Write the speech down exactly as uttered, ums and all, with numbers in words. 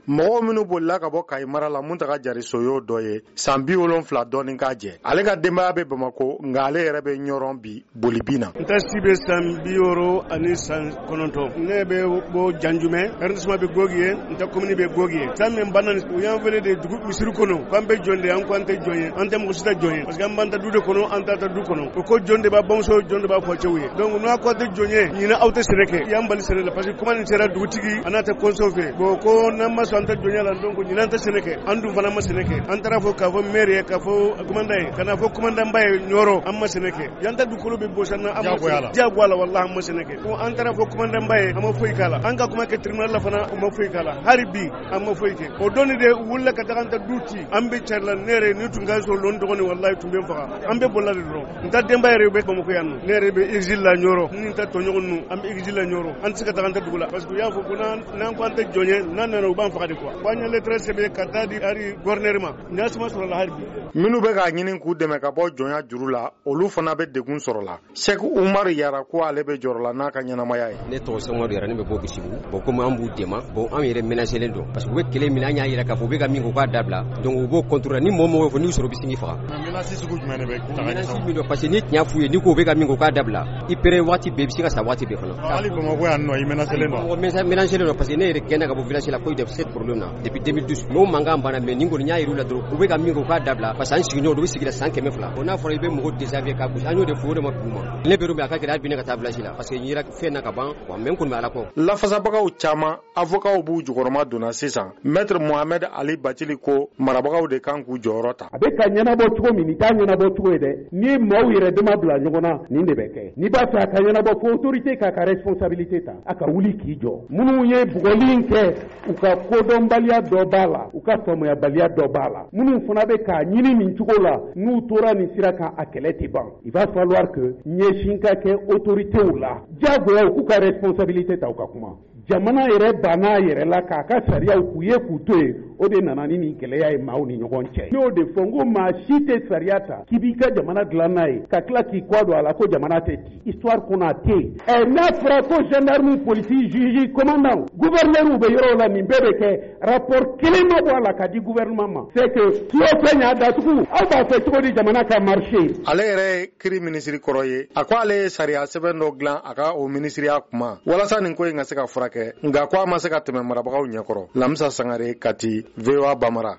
Mɔgɔw minnu bolila ka bɔ Kayi mara la, Muntaga Jariso y'o dɔ ye, san bi wolonfila dɔɔni k'a jɛ. Ale ka denbaya bɛ Bamakɔ, nka ale yɛrɛ bɛ Ɲɔrɔn bi bolibi na. N ta si bɛ san bi wɔɔrɔ ani san kɔnɔntɔn. Ne bɛ bɔ Janjumɛ, arrondissement bɛ Gogi ye, n ta commune bɛ Gogi ye. San min banna, u y'an wele de dugu misiri kɔnɔ k'an bɛ jɔn de ye. An ko an tɛ jɔn ye, an tɛ mɔgɔ si tɛ jɔn ye, parce que an b'an ta du de kɔnɔ, an ta ta du kɔnɔ. O ko jɔn de b'a bamuso, jɔn de b'a fɔ cɛw ye. Donc n'a ko an tɛ jɔn ye, ɲinɛ aw tɛ sɛnɛ kɛ, y'an bali sɛnɛ la, parce que kuma nin sera dugutigi a n'a tɛ conseil fɛ. Bon, ko n'an ma sɔn an tɛ jɔnya la, donc ɲinɛ an tɛ sɛnɛ kɛ. An dun fana ma sɛnɛ kɛ. An taara fɔ k'a fɔ maire ye, k'a fɔ commandant ye, ka na fɔ commandant ba ye Ɲɔrɔ. An ma sɛnɛ kɛ, yan ta dugukolo bɛ bɔsi an na. Diyagoya la, wallahi, an ma sɛnɛ kɛ. Ko an taara fɔ commandant ba ye, an ma foyi k'a la. An ka kuma kɛ tribunal la fana, u ma foyi k'a la. Hali bi an ma foyi kɛ. O don de wulila ka taga an ta du ci. An bɛ cari la. Ne yɛrɛ ni tun ka sɔrɔ lon dɔgɔnin, wallahi, tun bɛ n faga. An bɛ bolila de dɔrɔn. N ta denba yɛrɛ bɛ Bamakɔ yan nɔ, ne yɛrɛ bɛ exil la Ɲɔrɔ, ni n ta tɔɲɔgɔn ninnu, an bɛ exil la Ɲɔrɔ. An tɛ se ka taga an ta dugu la, parce que u y'a fɔ ko n'an ko an tɛ jɔn ye, n'an nana, u b'an faga de quoi. Ko an ye lettre sɛbɛn ka taa di hali gouverneur ma, nin suma sɔrɔ la hali bi. Minnu bɛ k'a ɲini k'u dɛmɛ ka bɔ jɔnya juru la, olu fana bɛ degun sɔrɔ la. Sɛki Umaru Yara ko ale bɛ jɔrɔ la n'a ka ɲɛnamaya ye. Ne tɔgɔ Sɛki Yara, ne bɛ bɔ Bisibugu. Bon, komi an b'u dɛmɛ, bon, an yɛrɛ menacelen don, parce que u bɛ kɛlɛ min, an y'a yira k'a fɔ u bɛ ka min kɛ, u k'a dabila. Donc u b'o contrôler. Ni mɔgɔ mɔgɔ fɔ n'u sɔrɔ, u bɛ sin k'i faga. Menace sugu jumɛn de bɛ ta? Menace min don, parce que ni tiɲɛ f'u ye, n'i ko u bɛ ka min kɛ, u k'a dabila, i pere waati bɛɛ, i bɛ se ka sa waati bɛɛ fana. Hali Bamakɔ yan nɔ, i menacelen don? Menacelen don, parce que ne yɛrɛ gɛnna ka bɔ village la cause de ce problème na depuis deux mille douze. Mais o mankan banna, mais nin kɔni, y'a yir'u la dɔrɔn, u bɛ ka min kɛ, u k'a dabila, parce que an sigiɲɔgɔnw, u bɛ sigi la san kɛmɛ fila. O n'a fɔra i bɛ mɔgɔ déshabiller ka gosi, an y'o de fɔ, o de ma dugu ma. Ne bɛ yɔrɔ min, a ka gɛlɛn hali bi ne ka taa village la, parce que n yera fɛn na ka ban. Mais n kɔni bɛ Ala kɔ. Lafasabagaw caman, avocats b'u jukɔrɔma donna sisan. Maître Mohamed Ali Bacili ko marabagaw de kan k'u jɔyɔrɔ ta. A bɛ ka ɲɛnabɔ cogo min, nin t'a ɲɛnabɔ cogo ye dɛ. N'i ye maaw yɛrɛ dama bila ɲɔgɔn na, nin de bɛ kɛ. N'i b'a fɛ a ka ɲɛnabɔ, fo autorité k'a ka responsabilité ta, a ka wuli k'i jɔ. Minnu ye bugɔli in kɛ, u ka kodɔnbaliya dɔ b'a la, u ka faamuyabaliya dɔ b'a la. Minnu fana bɛ k'a ɲini nin cogo la, n'u tora nin sira kan, a kɛlɛ tɛ ban. Il va falloir que ɲɛsin ka kɛ autorités la, diyagoya u k'u ka responsabilité ta, u ka kuma. Jamana yɛrɛ banna a yɛrɛ la k'a ka sariyaw k'u ye k'u to yen, o de nana ni nin gɛlɛya ye maaw ni ɲɔgɔn cɛ. N y'o de fɔ n ko maa si tɛ sariya ta k'i b'i ka jamana dilan n'a ye, ka tila k'i kɔ don a la ko jamana tɛ ci. Histoire kɔnɔ, a tɛ yen. Ɛ, n'a fɔra ko gendarme, policier, juge, commandant, gouverneur bɛ yɔrɔw la, nin bɛɛ bɛ kɛ, rapport kelen ma bɔ a la ka di gouvernement ma, c'est que tuyo fɛn y'a datugu. Aw b'a fɛ cogo di jamana ka marcher? Ale yɛrɛ ye kiri minisiri kɔrɔ ye. A ko ale ye sariya sɛbɛn dɔ dilan a ka o minisiriya kuma walasa nin ko in ka se ka furakɛ, nka ko a ma se ka tɛmɛ marabagaw ɲɛkɔrɔ. Lamisa Sangare, Kati, V O A Bamara.